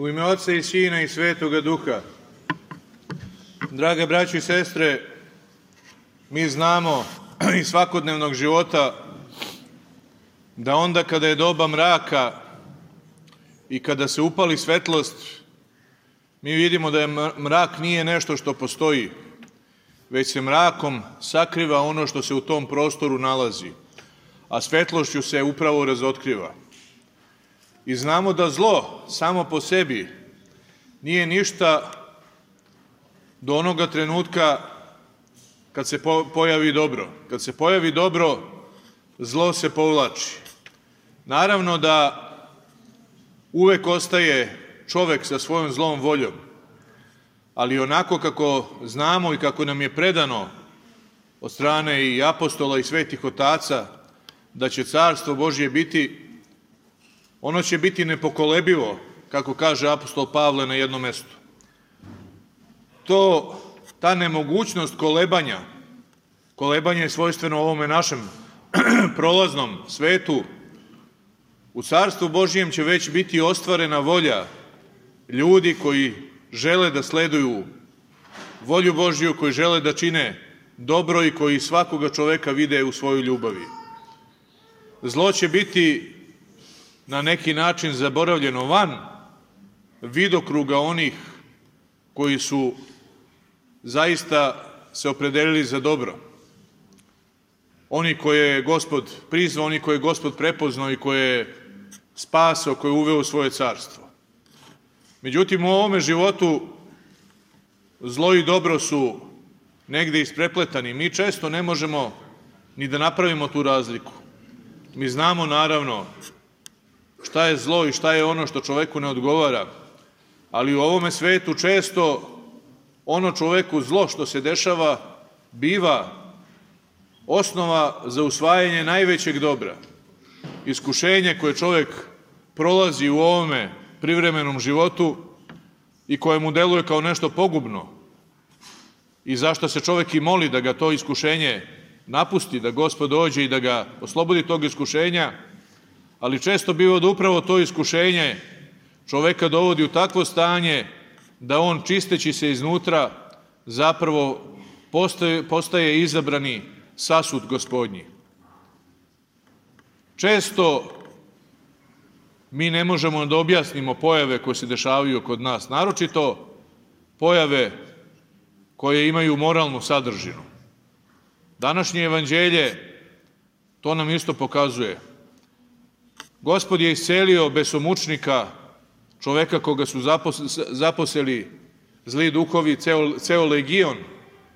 U ime Oca i Sina i Svetoga Duha. Drage braće i sestre, mi znamo iz svakodnevnog života da onda kada je doba mraka i kada se upali svetlost, mi vidimo da je mrak nije nešto što postoji, već se mrakom sakriva ono što se u tom prostoru nalazi, a svetlošću se upravo razotkriva. I znamo da zlo samo po sebi nije ništa do onoga trenutka kad se pojavi dobro. Kad se pojavi dobro, zlo se povlači. Naravno da uvek ostaje čovek sa svojom zlom voljom, ali onako kako znamo i kako nam je predano od strane i apostola i svetih otaca da će carstvo Božje biti, ono će biti nepokolebivo, kako kaže apostol Pavle na jednom mestu. Ta nemogućnost kolebanje je svojstveno ovome našem prolaznom svetu, u carstvu Božjem će već biti ostvarena volja ljudi koji žele da sleduju volju Božju, koji žele da čine dobro i koji svakoga čoveka vide u svojoj ljubavi. Zlo će biti na neki način zaboravljeno van vidokruga onih koji su zaista se opredelili za dobro. Oni koje je Gospod prizvao, oni koje je Gospod prepoznao i koje je spasao, koje je uveo u svoje carstvo. Međutim, u ovome životu zlo i dobro su negde isprepletani. Mi često ne možemo ni da napravimo tu razliku. Mi znamo, naravno, šta je zlo i šta je ono što čoveku ne odgovara, ali u ovome svetu često ono čoveku zlo što se dešava biva osnova za usvajanje najvećeg dobra. Iskušenje koje čovek prolazi u ovome privremenom životu i koje mu deluje kao nešto pogubno i zašto se čovek i moli da ga to iskušenje napusti, da Gospod dođe i da ga oslobodi tog iskušenja, ali često biva da upravo to iskušenje čoveka dovodi u takvo stanje da on, čisteći se iznutra, zapravo postaje izabrani sasud Gospodnji. Često mi ne možemo da objasnimo pojave koje se dešavaju kod nas, naročito pojave koje imaju moralnu sadržinu. Današnje evanđelje to nam isto pokazuje. Gospod je iscelio besomučnika, čoveka koga su zaposeli zli duhovi, ceo legion,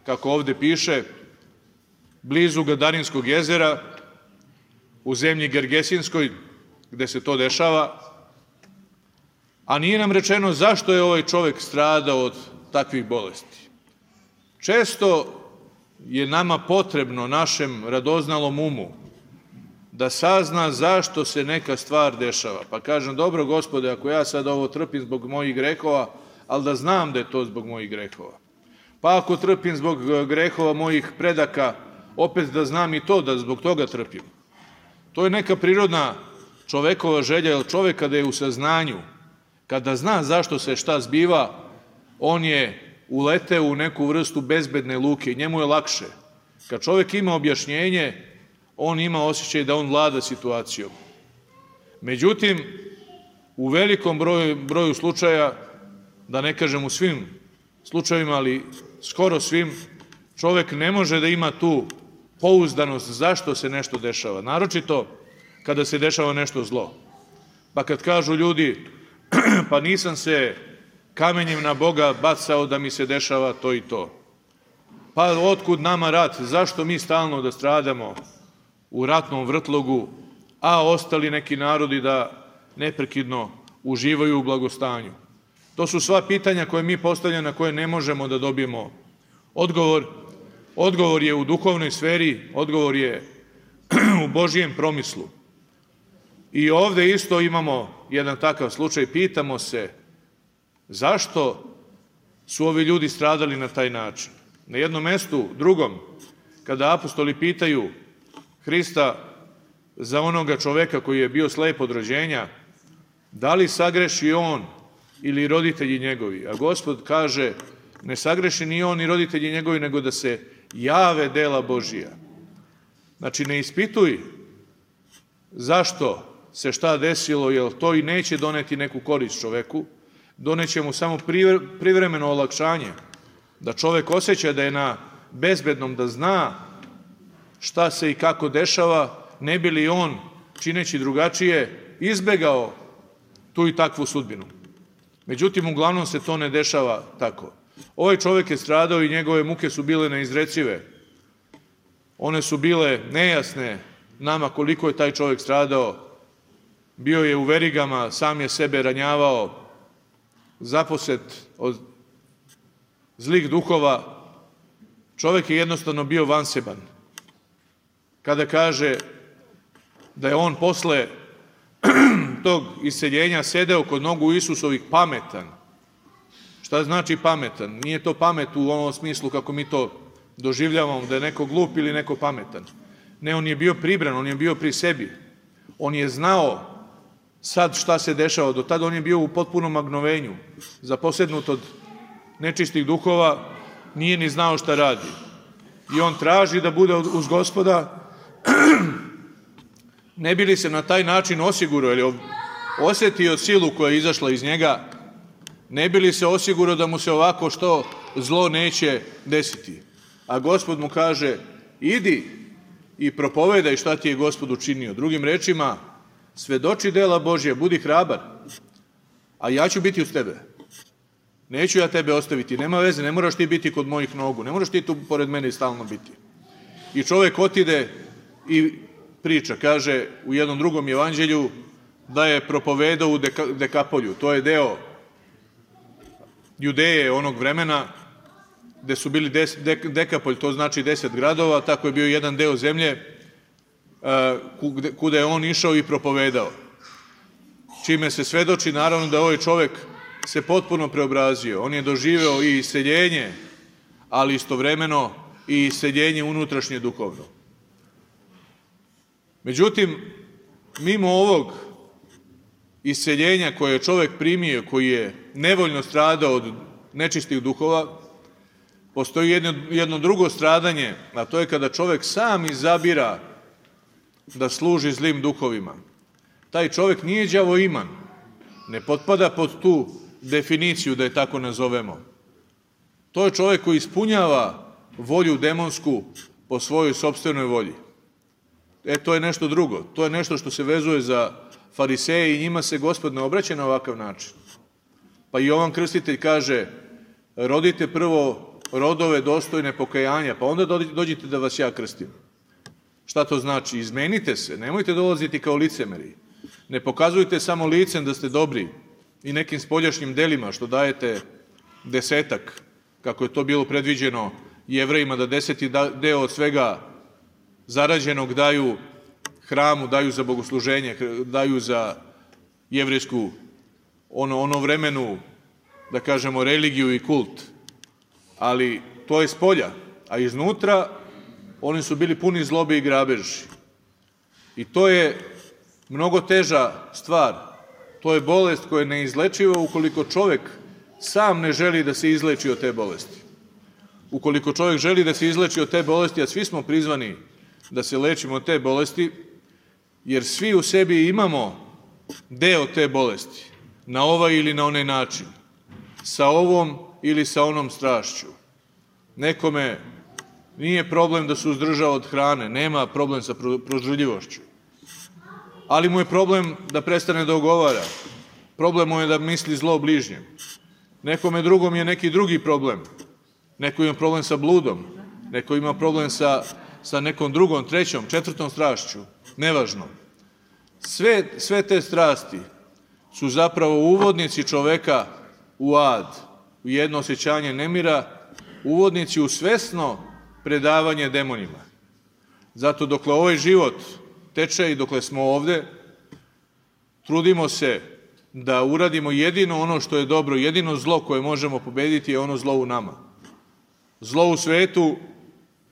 kako ovde piše, blizu Gadarinskog jezera, u zemlji Gergesinskoj, gde se to dešava, a nije nam rečeno zašto je ovaj čovek stradao od takvih bolesti. Često je nama potrebno, našem radoznalom umu, da sazna zašto se neka stvar dešava. Pa kažem, dobro Gospode, ako ja sad ovo trpim zbog mojih grehova, ali da znam da je to zbog mojih grehova. Pa ako trpim zbog grehova mojih predaka, opet da znam i to da zbog toga trpim. To je neka prirodna čovekova želja, jer čovek kada je u saznanju, kada zna zašto se šta zbiva, on je uleteo u neku vrstu bezbedne luke i njemu je lakše. Kad čovek ima objašnjenje, on ima osjećaj da on vlada situacijom. Međutim, u velikom broju slučaja, da ne kažem u svim slučajevima, ali skoro svim, čovek ne može da ima tu pouzdanost zašto se nešto dešava, naročito kada se dešava nešto zlo. Pa kad kažu ljudi, pa nisam se kamenjem na Boga bacao da mi se dešava to i to. Pa otkud nama rat, zašto mi stalno da stradamo u ratnom vrtlogu, a ostali neki narodi da neprekidno uživaju u blagostanju. To su sva pitanja koje mi postavljamo, na koje ne možemo da dobijemo odgovor. Odgovor je u duhovnoj sferi, odgovor je u Božijem promislu. I ovde isto imamo jedan takav slučaj, pitamo se zašto su ovi ljudi stradali na taj način. Na jednom mestu, drugom, kada apostoli pitaju Hrista za onoga čoveka koji je bio slep od rođenja, da li sagreši on ili roditelji njegovi. A Gospod kaže, ne sagreši ni on ni roditelji njegovi, nego da se jave dela Božija. Znači, ne ispituj zašto se šta desilo, jer to i neće doneti neku korist čoveku, doneće mu samo privremeno olakšanje, da čovek osjeća da je na bezbednom, da zna šta se i kako dešava, ne bi li on, čineći drugačije, izbegao tu i takvu sudbinu. Međutim, uglavnom se to ne dešava tako. Ovaj čovek je stradao i njegove muke su bile neizrecive. One su bile nejasne nama koliko je taj čovek stradao. Bio je u verigama, sam je sebe ranjavao, zaposet od zlih duhova. Čovek je jednostavno bio vanseban. Kada kaže da je on posle tog iseljenja sedeo kod nogu Isusovih pametan. Šta znači pametan? Nije to pamet u onom smislu kako mi to doživljavamo, da je neko glup ili neko pametan. Ne, on je bio pribran, on je bio pri sebi. On je znao sad šta se dešava. Do tada on je bio u potpunom magnovenju. Zaposednut od nečistih duhova, nije ni znao šta radi. I on traži da bude uz Gospoda, ne bi li se na taj način osigurao, ili osjetio silu koja je izašla iz njega, ne bi li se osigurao da mu se ovako što zlo neće desiti. A Gospod mu kaže, idi i propovedaj šta ti je Gospod učinio. Drugim rečima, svedoči dela Božja, budi hrabar, a ja ću biti uz tebe. Neću ja tebe ostaviti, nema veze, ne moraš ti biti kod mojih nogu, ne moraš ti tu pored mene stalno biti. I čovek otide i priča, kaže u jednom drugom evanđelju da je propovedao u Dekapolju. To je deo Judeje onog vremena gde su bili Dekapolj, to znači 10 gradova, tako je bio jedan deo zemlje kuda je on išao i propovedao. Čime se svedoči naravno da ovaj čovek se potpuno preobrazio. On je doživeo i iseljenje, ali istovremeno i iseljenje unutrašnje duhovno. Međutim, mimo ovog iseljenja koje je čovek primio, koji je nevoljno stradao od nečistih duhova, postoji jedno drugo stradanje, a to je kada čovek sam izabira da služi zlim duhovima. Taj čovek nije đavoiman, ne potpada pod tu definiciju, da je tako nazovemo. To je čovek koji ispunjava volju demonsku po svojoj sopstvenoj volji. To je nešto drugo. To je nešto što se vezuje za fariseje i njima se Gospod ne obraća na ovakav način. Pa i Jovan Krstitelj kaže, rodite prvo rodove dostojne pokajanja, pa onda dođite da vas ja krstim. Šta to znači? Izmenite se, nemojte dolaziti kao licemeri. Ne pokazujte samo licem da ste dobri i nekim spoljašnjim delima što dajete desetak, kako je to bilo predviđeno Jevrejima, da 10. deo od svega zarađenog daju hramu, daju za bogosluženje, daju za jevrejsku ono vremenu, da kažemo, religiju i kult. Ali to je spolja, a iznutra oni su bili puni zlobe i grabeži. I to je mnogo teža stvar. To je bolest koja je neizlečiva ukoliko čovek sam ne želi da se izleči od te bolesti. Ukoliko čovek želi da se izleči od te bolesti, a svi smo prizvani da se lečimo od te bolesti, jer svi u sebi imamo deo te bolesti, na ovaj ili na onaj način, sa ovom ili sa onom strašću. Nekome nije problem da se uzdrža od hrane, nema problem sa prožrljivošću, ali mu je problem da prestane da ogovara, problem mu je da misli zlo bližnjem. Nekome drugom je neki drugi problem, neko ima problem sa bludom, neko ima problem sa nekom drugom, trećom, četvrtom strašću, nevažno. Sve te strasti su zapravo uvodnici čoveka u ad, u jedno osjećanje nemira, uvodnici u svesno predavanje demonima. Zato dokle ovaj život teče i dokle smo ovde, trudimo se da uradimo jedino ono što je dobro, jedino zlo koje možemo pobediti je ono zlo u nama. Zlo u svetu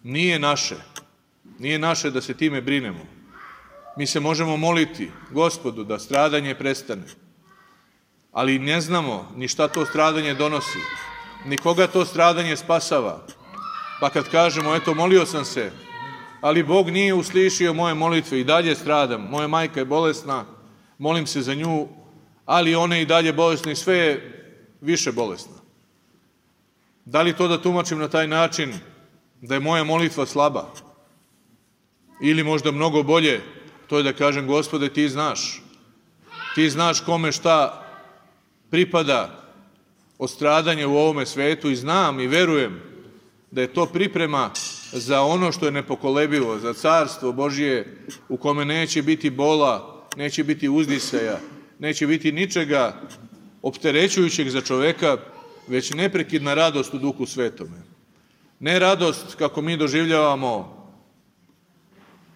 nije naše. Nije naše da se time brinemo. Mi se možemo moliti Gospodu da stradanje prestane. ali ne znamo ni šta to stradanje donosi, ni koga to stradanje spasava. Pa kad kažemo, eto, molio sam se, ali Bog nije uslišio moje molitve, i dalje stradam, moja majka je bolesna, molim se za nju, ali ona je i dalje bolesna i sve je više bolesna. Da li to da tumačim na taj način da je moja molitva slaba? Ili možda mnogo bolje, to je da kažem, Gospode, ti znaš kome šta pripada od stradanja u ovome svetu, i znam i verujem da je to priprema za ono što je nepokolebivo, za carstvo Božje u kome neće biti bola, neće biti uzdisaja, neće biti ničega opterećujućeg za čoveka, već neprekidna radost u Duhu Svetome. Ne radost kako mi doživljavamo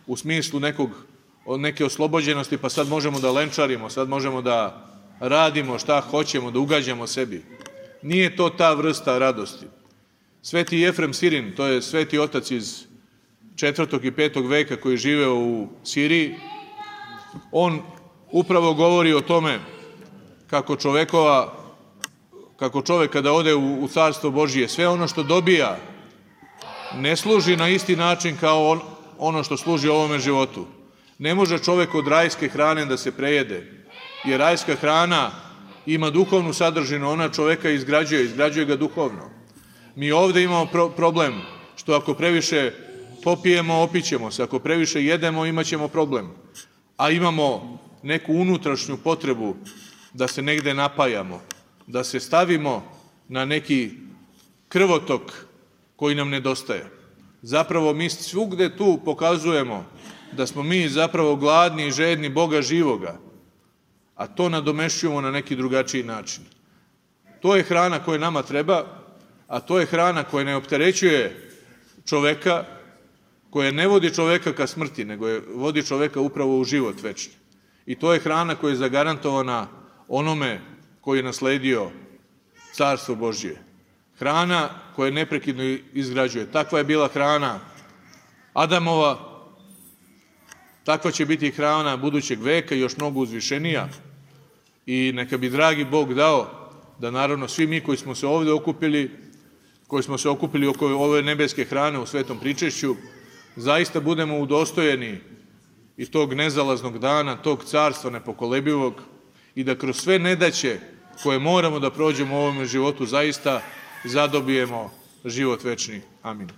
u smislu neke oslobođenosti, pa sad možemo da lenčarimo, sad možemo da radimo šta hoćemo, da ugađamo sebi. Nije to ta vrsta radosti. Sveti Jefrem Sirin, to je sveti otac iz 4. i 5. veka koji je živeo u Siriji, on upravo govori o tome kako čovek kada ode u carstvo Božije, sve ono što dobija ne služi na isti način kao ono što služi ovome životu. Ne može čovek od rajske hrane da se prejede, jer rajska hrana ima duhovnu sadržinu, ona čoveka izgrađuje ga duhovno. Mi ovde imamo problem što ako previše popijemo, opićemo se, ako previše jedemo, imat ćemo problem. A imamo neku unutrašnju potrebu da se negde napajamo, da se stavimo na neki krvotok koji nam nedostaje. Zapravo mi svugde tu pokazujemo da smo mi zapravo gladni i žedni Boga živoga, a to nadomešćujemo na neki drugačiji način. To je hrana koja nama treba, a to je hrana koja ne opterećuje čoveka, koja ne vodi čoveka ka smrti, nego vodi čoveka upravo u život večni. I to je hrana koja je zagarantovana onome koji je nasledio carstvo Božje. Hrana koja neprekidno izgrađuje. Takva je bila hrana Adamova, takva će biti hrana budućeg veka, još mnogo uzvišenija. I neka bi dragi Bog dao da naravno svi mi koji smo se ovde okupili, koji smo se okupili oko ove nebeske hrane u svetom pričešću, zaista budemo udostojeni i tog nezalaznog dana, tog carstva nepokolebivog, i da kroz sve nedaće koje moramo da prođemo u ovom životu zaista zadobijemo život večni. Amin.